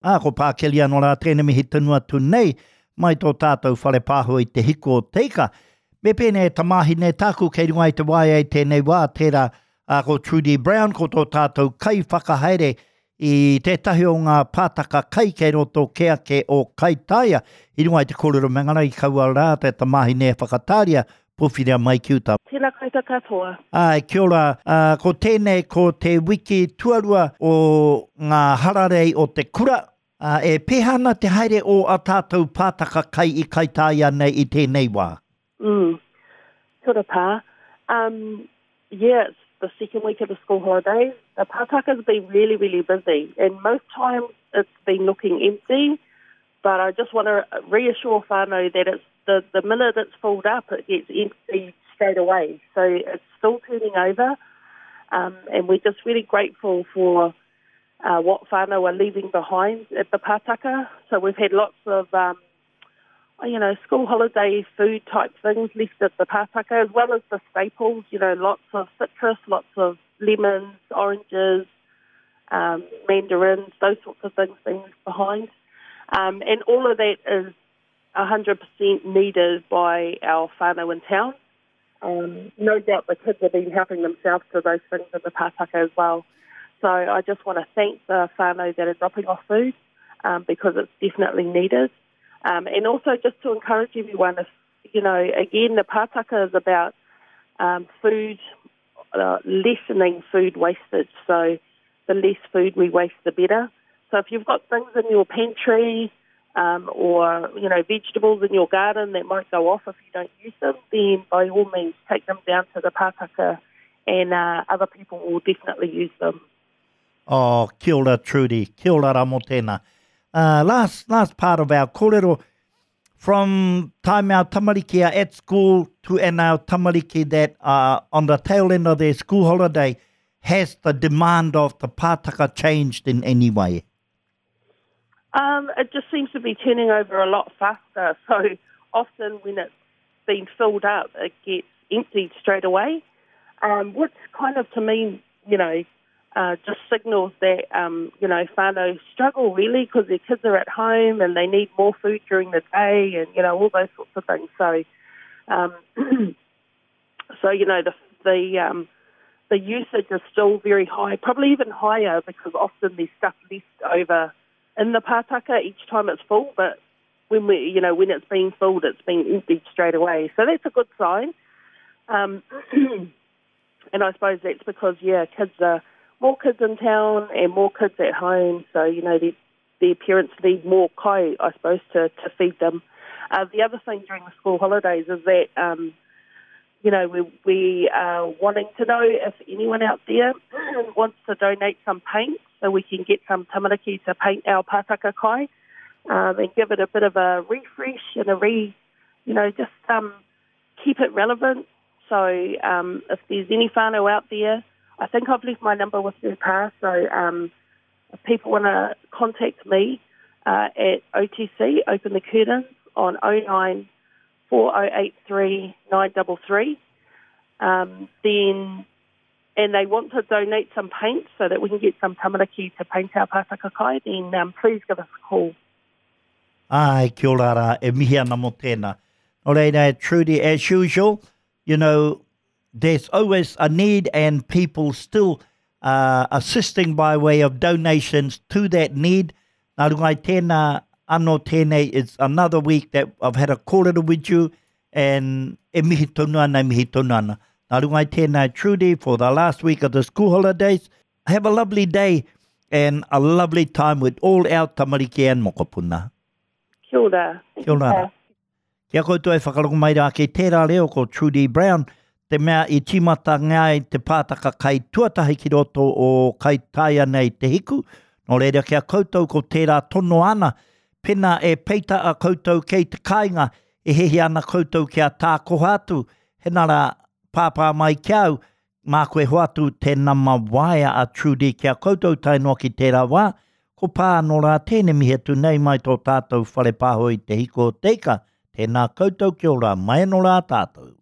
Ā, ko Pākeli anō rā tēnei mihi tonu atu nei mai tō tātou whare pāho i te hiku o te ika. Me pēnei e tamāhine tāku kei runga i te waea i tēnei wā, tērā ā, ko Trudy Brown, ko tō tātou kaiwhakahaere i tētahi o ngā pātaka kai kei roto kē ake o Kaitaia. I runga i te kōrero me ngana i kaua rā te tamāhine e whakatāria Pōwhiria mai ki uta. Tēnā koutou katoa. Āe, kia ora. Ā, ko tēnei ko te wiki tuarua o ngā hararei o te kura. Ā, e pēhea ana te haere o ā tātou pātaka kai i Kaitāia nei i tēnei wā? Mm. Kia ora Pā. Um, yeah, it's the second week of the school holidays. The pātaka's been really, really busy and most times it's been looking empty. But I just want to reassure whānau that it's the, the minute it's filled up, it gets emptied straight away. So it's still turning over. Um, and we're just really grateful for uh, what whānau are leaving behind at the pātaka. So we've had lots of, um, you know, school holiday food type things left at the pātaka, as well as the staples, you know, lots of citrus, lots of lemons, oranges, um, mandarins, those sorts of things being left behind. Um, and all of that is 100% needed by our whānau in town. Um, no doubt the kids have been helping themselves to those things in the pātaka as well. So I just want to thank the whānau that are dropping off food um, because it's definitely needed. Um, and also just to encourage everyone, if, you know, again, the pātaka is about um, food, uh, lessening food wastage. So the less food we waste, the better. So if you've got things in your pantry um, or, you know, vegetables in your garden that might go off if you don't use them, then by all means take them down to the pātaka and uh, other people will definitely use them. Oh, kia ora Trudy, kia ora rā mō tēnā. Uh, last, last part of our kōrero, from time our tamariki are at school to and our tamariki that are on the tail end of their school holiday, has the demand of the pātaka changed in any way? Um, it just seems to be turning over a lot faster. So often when it's been filled up, it gets emptied straight away, um, which kind of to me, you know, uh, just signals that, um, you know, whānau struggle really because their kids are at home and they need more food during the day and, you know, all those sorts of things. So, um, so you know, the, the, um, the usage is still very high, probably even higher because often there's stuff left over in the pātaka each time it's full, but when we, you know, when it's being filled, it's being emptied straight away. So that's a good sign. Um, and I suppose that's because, yeah, kids are more kids in town and more kids at home. So, you know, their, their parents need more kai, I suppose, to, to feed them. Uh, the other thing during the school holidays is that, um, you know, we, we are wanting to know if anyone out there wants to donate some paint so we can get some tamariki to paint our pātaka kai um, and give it a bit of a refresh and a re, you know, just um, keep it relevant. So um, if there's any whānau out there, I think I've left my number with you, Pa, so um, if people want to contact me uh, at OTC, Open the Curtains, on 09 4083 933, um, then and they want to donate some paint so that we can get some tamariki to paint our pātaka kai, then um, please give us a call. Ai, kia ora rā, e mihi ana mō tēnā. Nō reira, Trudy, as usual, you know, there's always a need and people still uh, assisting by way of donations to that need. Nā runga i tēnā, anō tēnei, it's another week that I've had a kōrero with you and e mihi tonu ana, e mihi tonu ana. Nā runga i tēnā, Trudy, for the last week of the school holidays, have a lovely day and a lovely time with all our tamariki and mokopuna. Kia ora. Kia ora. Ki a koutou e whakarongo mai rā kei tērā reo ko Trudy Brown, te mea i tīmata ai te pātaka kai tuatahi ki roto o Kaitaia nei Te Hiku. Nō reira ki a koutou ko tērā tono ana, pena e peita a koutou kei te kāinga, e hiahia ana koutou kia tākoha atu, hena rā, pāpā mai ki a au, Māku e hoatu te nama waea a Trudy ki a koutou tae noa ki tērā wā, ko pā anō rā tēnei mihi atu nei mai tō tātou whare pāho i Te Hiko o Te Ika, tēnā koutou kia ora mai anō rā tātou.